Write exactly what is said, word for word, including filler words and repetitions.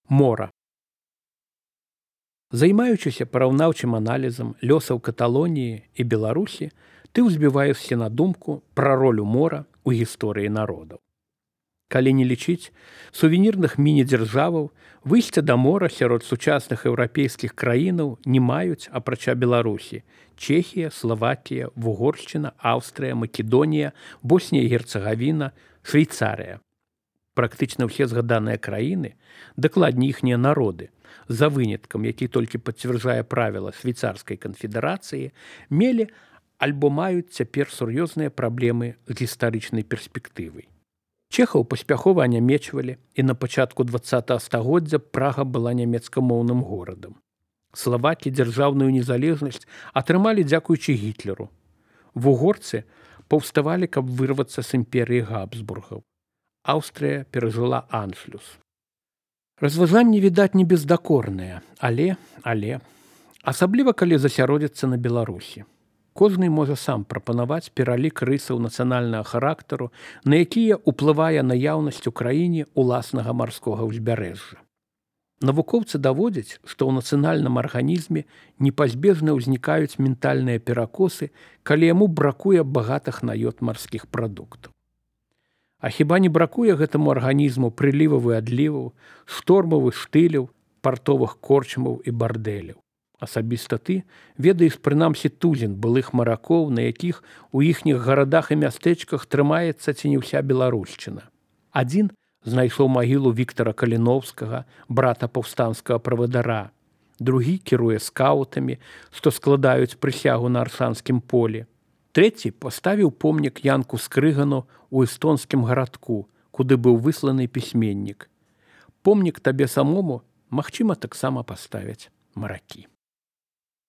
Мора. Займаючыся параўнаўчым аналізам лёсаў Каталоніі і Беларусі, ты ўзбіваешся на думку пра ролю мора ў гісторыі народаў. Калі не лічыць сувенірных міні-дзяржаваў, выйсце да мора сярод сучасных еўрапейскіх краінаў не маюць, апрача Беларусі, Чэхія, Славакія, Вугоршчына, Аўстрыя, Македонія, Боснія і Герцагавіна, Швейцарыя. Практычна ўсе згаданыя краіны, дакладней іхнія народы, за выняткам, які толькі пацвярджае правіла швейцарскай канфедэрацыі, мелі альбо маюць цяпер сур'ёзныя праблемы з гістарычнай перспектывай. Чэхаў паспяхова анямечвалі, і на пачатку дваццатага стагоддзя Прага была нямецкамоўным горадам. Славакі дзяржаўную незалежнасць атрымалі дзякуючы Гітлеру. Вугорцы паўставалі, каб вырвацца з імперыі Габсбургаў. Аўстрыя перажыла аншлюс. Разважанні, відаць, не бездакорныя, але, але, асабліва калі засяродзяцца на Беларусі. Кожны можа сам прапанаваць пералік рысаў нацыянальнага характару, на якія ўплывае наяўнасць у краіне ўласнага марскога ўзбярэжжа. Навукоўцы даводзяць, што ў нацыянальным арганізме непазбежна ўзнікаюць ментальныя перакосы, калі яму бракуе багатых на ёд марскіх прадуктаў. А хіба не бракуе гэтаму арганізму прыліваў і адліваў, штормавых штыляў, партовых корчмаў і бардэляў? Асабіста ты ведаеш прынамсі тузін былых маракоў, на якіх у іхніх гарадах і мястэчках трымаецца ці не ўся беларушчына. Адзін знайшоў магілу Віктара Каліноўскага, брата паўстанцкага правадыра. Другі кіруе скаутамі, што складаюць прысягу на Аршанскім полі. Трэці паставіў помнік Янку Скрыгану ў эстонскім гарадку, куды быў высланы пісьменнік. Помнік табе самому, магчыма, таксама паставяць маракі.